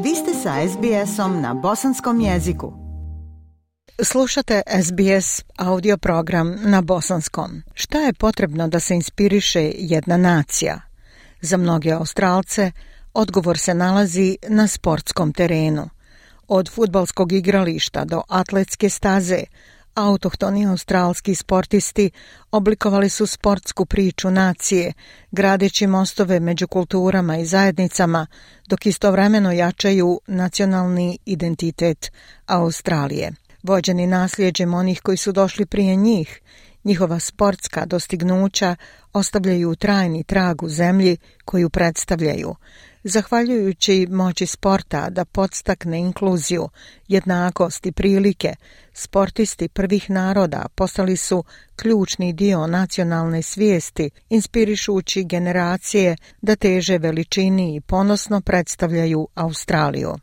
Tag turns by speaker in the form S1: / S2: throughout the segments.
S1: Vi ste sa SBS-om na bosanskom jeziku. Slušate SBS audio program na bosanskom. Šta je potrebno da se inspiriše jedna nacija? Za mnoge Australce odgovor se nalazi na sportskom terenu. Od fudbalskog igrališta do atletske staze, autohtoni australski sportisti oblikovali su sportsku priču nacije, gradeći mostove među kulturama i zajednicama, dok istovremeno jačaju nacionalni identitet Australije. Vođeni nasljeđem onih koji su došli prije njih, njihova sportska dostignuća ostavljaju trajni trag u zemlji koju predstavljaju. Zahvaljujući moći sporta da podstakne inkluziju, jednakost i prilike, sportisti prvih naroda postali su ključni dio nacionalne svijesti, inspirišući generacije da teže veličini i ponosno predstavljaju Australiju.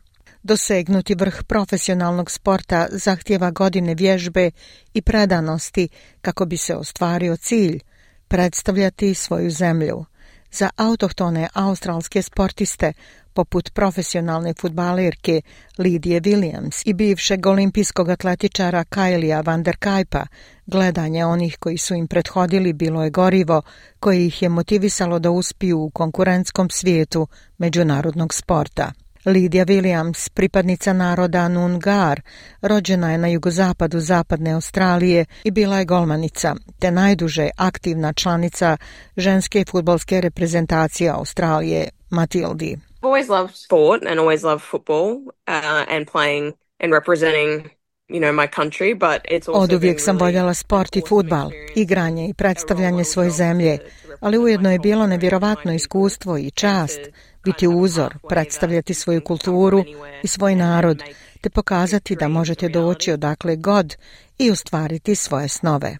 S1: Dosegnuti vrh profesionalnog sporta zahtijeva godine vježbe i predanosti kako bi se ostvario cilj, predstavljati svoju zemlju. Za autohtone australske sportiste, poput profesionalne fudbalerke Lidije Williams i bivšeg olimpijskog atletičara Kylea van der Kuypa, gledanje onih koji su im prethodili bilo je gorivo koje ih je motivisalo da uspiju u konkurentskom svijetu međunarodnog sporta. Lidija Williams, pripadnica naroda Noongar, rođena je na jugozapadu zapadne Australije i bila je golmanica, te najduže aktivna članica ženske fudbalske reprezentacije Australije, Matildi.
S2: I've always loved sport and always loved football and playing and representing my country, but it's also
S1: Oduvijek sam voljela sport i fudbal, igranje i predstavljanje svoje zemlje, ali ujedno je bilo nevjerovatno iskustvo i čast biti uzor, predstavljati svoju kulturu i svoj narod, te pokazati da možete doći odakle god i ostvariti svoje snove.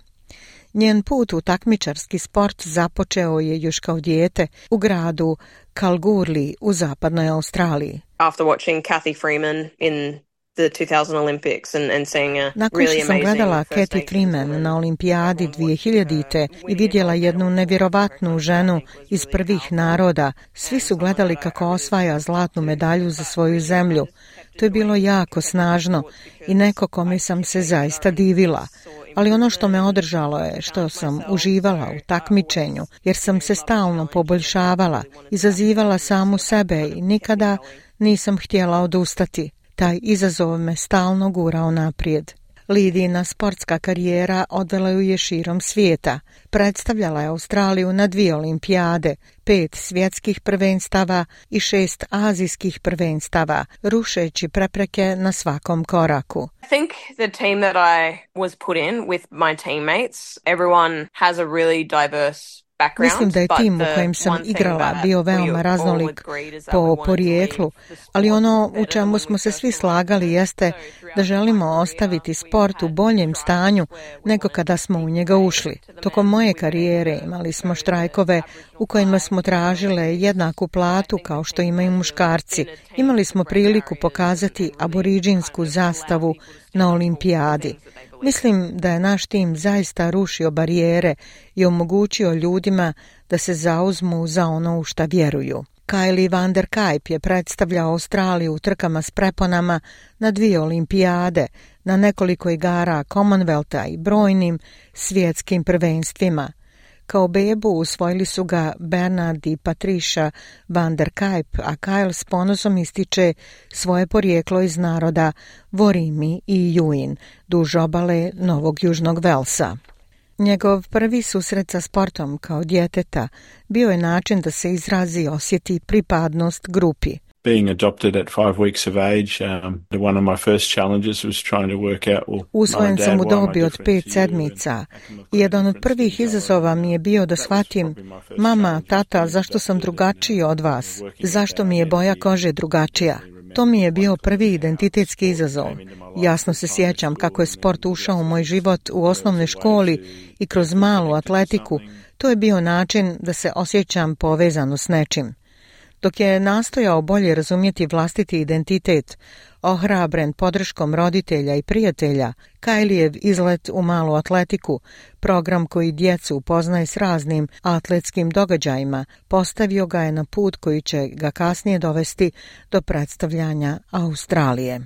S1: Njen put u takmičarski sport započeo je još kao dijete u gradu Kalgoorlie u zapadnoj Australiji.
S2: After watching Cathy Freeman in the 2000 Olympics and seeing a
S1: Nakon
S2: really
S1: što sam
S2: amazing
S1: gledala
S2: First
S1: Cathy
S2: Nations
S1: Freeman
S2: woman
S1: na olimpijadi 2000. i vidjela jednu nevjerovatnu ženu iz prvih naroda, svi su gledali kako osvaja zlatnu medalju za svoju zemlju. To je bilo jako snažno i neko kome sam se zaista divila. Ali ono što me održalo je što sam uživala u takmičenju, jer sam se stalno poboljšavala, izazivala samu sebe i nikada nisam htjela odustati. Taj izazov me stalno gurao naprijed. Lidina sportska karijera odvela ju je širom svijeta. Predstavljala je Australiju na 2 olimpijade, 5 svjetskih prvenstava i 6 azijskih prvenstava, rušeći prepreke na svakom koraku.
S2: I think the team that I was put in with my teammates, everyone has a really diverse background.
S1: Mislim da je tim u kojem sam igrala bio veoma raznolik po porijeklu, ali ono u čemu smo se svi slagali jeste da želimo ostaviti sport u boljem stanju nego kada smo u njega ušli. Tokom moje karijere imali smo štrajkove u kojima smo tražile jednaku platu kao što imaju muškarci. Imali smo priliku pokazati aboriđinsku zastavu na olimpijadi. Mislim da je naš tim zaista rušio barijere i omogućio ljudima da se zauzmu za ono u šta vjeruju. Kyle van der Kuyp je predstavljao Australiju u trkama s preponama na 2 olimpijade, na nekoliko igara Commonwealtha i brojnim svjetskim prvenstvima. Kao bebu usvojili su ga Bernard i Patricia van der Kuyp, a Kyle s ponosom ističe svoje porijeklo iz naroda Worimi i Yuin, duž obale Novog Južnog Velsa. Njegov prvi susret sa sportom kao djeteta bio je način da se izrazi i osjeti pripadnost grupi.
S3: Being adopted at 5 weeks of age, one of my first challenges was trying to work out.
S1: Usvojen sam u dobi od 5 sedmica i jedan od prvih izazova mi je bio da shvatim, mama, tata, zašto sam drugačiji od vas? Zašto mi je boja kože drugačija? To mi je bio prvi identitetski izazov. Jasno se sjećam kako je sport ušao u moj život u osnovnoj školi i kroz malu atletiku. To je bio način da se osjećam povezano s nečim. Dok je nastojao bolje razumjeti vlastiti identitet, ohrabren podrškom roditelja i prijatelja, Kyliev izlet u malu atletiku, program koji djecu upoznaje s raznim atletskim događajima, postavio ga je na put koji će ga kasnije dovesti do predstavljanja Australije.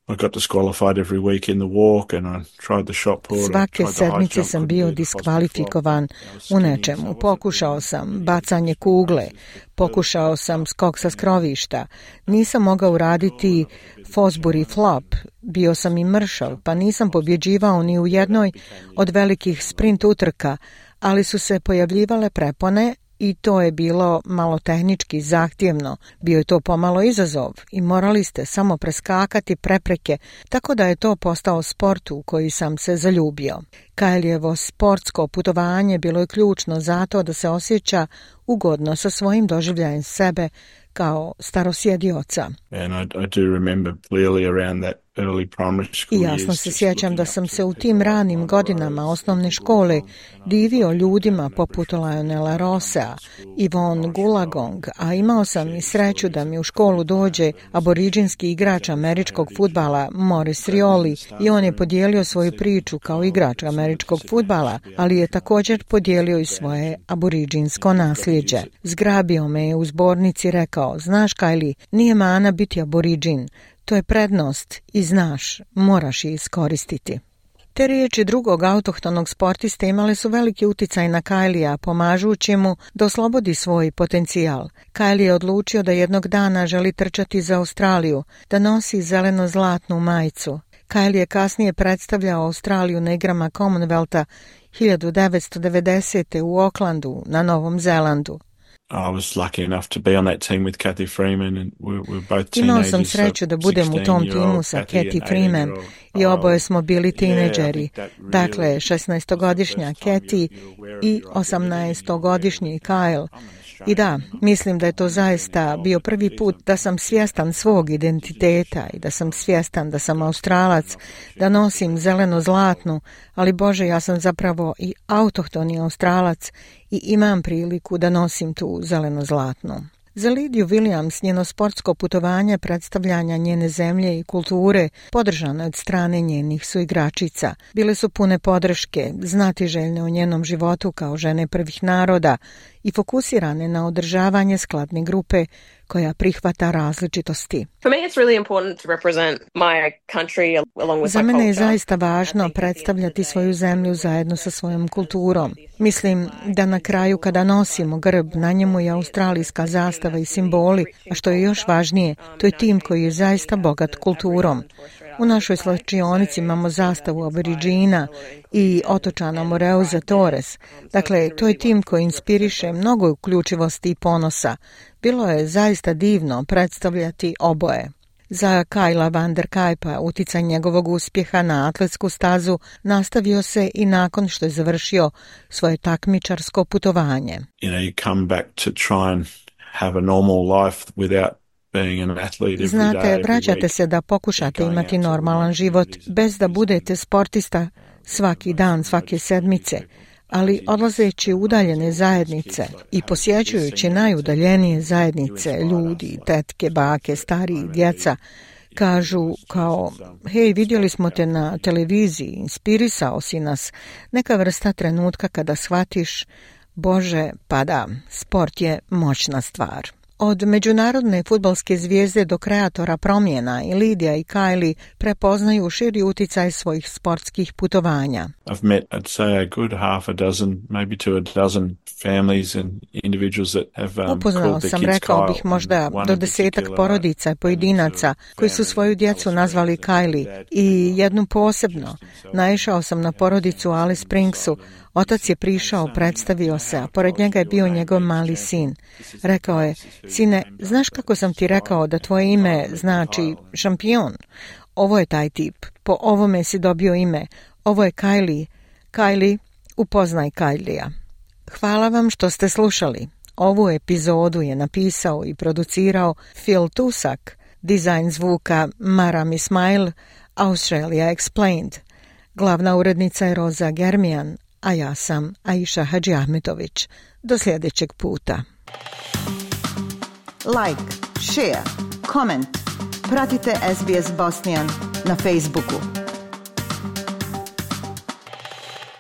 S3: I got disqualified every week in the walk and I tried the shot put.
S1: Svake sedmice sam bio diskvalifikovan u nečemu. Pokušao sam bacanje kugle, pokušao sam skok sa skrovišta. Nisam mogao uraditi Fosbury flop, bio sam i mršav, pa nisam pobjeđivao ni u jednoj od velikih sprint utrka, ali su se pojavljivale prepone i to je bilo malo tehnički zahtjevno. Bio je to pomalo izazov i morali ste samo preskakati prepreke, tako da je to postao sport u koji sam se zaljubio. Kylievo sportsko putovanje bilo je ključno zato da se osjeća ugodno sa svojim doživljajem sebe kao starosjedioca. I jasno se sjećam da sam se u tim ranim godinama osnovne škole divio ljudima poput Lionela Rossea, Yvonne Goolagong, a imao sam i sreću da mi u školu dođe aboriđinski igrač američkog fudbala Maurice Rioli i on je podijelio svoju priču kao igrač američkog fudbala, ali je također podijelio i svoje aboriđinsko nasljeđe. Zgrabio me je u zbornici i rekao: znaš, Kylie, nije mana biti aboriđin. To je prednost i znaš, moraš je iskoristiti. Te riječi drugog autohtonog sportiste imale su veliki uticaj na Kyliea, pomažući mu da oslobodi svoj potencijal. Kylie je odlučio da jednog dana želi trčati za Australiju, da nosi zeleno-zlatnu majicu. Kylie je kasnije predstavljao Australiju na igrama Commonwealtha 1990. u Aucklandu na Novom Zelandu. Imao sam sreću da budem u tom timu sa Cathy Freeman i oboje smo bili tineđeri. Dakle, 16-godišnja Cathy i 18-godišnji Kyle. I da, mislim da je to zaista bio prvi put da sam svjestan svog identiteta i da sam svjestan da sam Australac, da nosim zeleno-zlatnu, ali Bože, ja sam zapravo i autohtoni Australac i imam priliku da nosim tu zeleno-zlatnu. Za Lidiju Williams njeno sportsko putovanje predstavljanja njene zemlje i kulture podržano od strane njenih suigračica. Bile su pune podrške, znatiželjne o njenom životu kao žene prvih naroda i fokusirane na održavanje skladne grupe koja prihvata različitosti. Za mene je zaista važno predstavljati svoju zemlju zajedno sa svojom kulturom. Mislim da na kraju kada nosimo grb, na njemu je australijska zastava i simboli, a što je još važnije, to je tim koji je zaista bogat kulturom. U našoj slačionici imamo zastavu Aboriđina i otočana Moreuza Torres. Dakle, to je tim koji inspiriše mnogo uključivosti i ponosa. Bilo je zaista divno predstavljati oboje. Za Kylea van der Kuypa uticaj njegovog uspjeha na atletsku stazu nastavio se i nakon što je završio svoje takmičarsko putovanje. Znate, vraćate se da pokušate imati normalan život bez da budete sportista svaki dan, svake sedmice, ali odlazeći u udaljene zajednice i posjećujući najudaljenije zajednice, ljudi, tetke, bake, stariji, djeca, kažu kao: hej, vidjeli smo te na televiziji, inspirisao si nas, neka vrsta trenutka kada shvatiš: Bože, pa da, sport je moćna stvar. Od međunarodne fudbalske zvijezde do kreatora promjena i Lidija i Kylie prepoznaju širi uticaj svojih sportskih putovanja.
S3: I've met, I'd say, a good half a dozen, maybe to a dozen families and individuals that have
S1: Upoznao sam, rekao bih, možda do 10 porodica i pojedinaca koji su svoju djecu nazvali Kylie i jednu posebno. Naišao sam na porodicu u Alice Springsu. Otac je prišao, predstavio se, a pored njega je bio njegov mali sin. Rekao je: sine, znaš kako sam ti rekao da tvoje ime znači šampion? Ovo je taj tip, po ovome si dobio ime. Ovo je Kylie. Kylie, upoznaj Kyliea. Hvala vam što ste slušali. Ovu epizodu je napisao i producirao Phil Tusak, dizajn zvuka Maram Ismail, Australia Explained. Glavna urednica je Roza Germijan, a ja sam Aisha Hadžiahmetović. Do sljedećeg puta. like, share, comment. Pratite SBS Bosnian na Facebooku.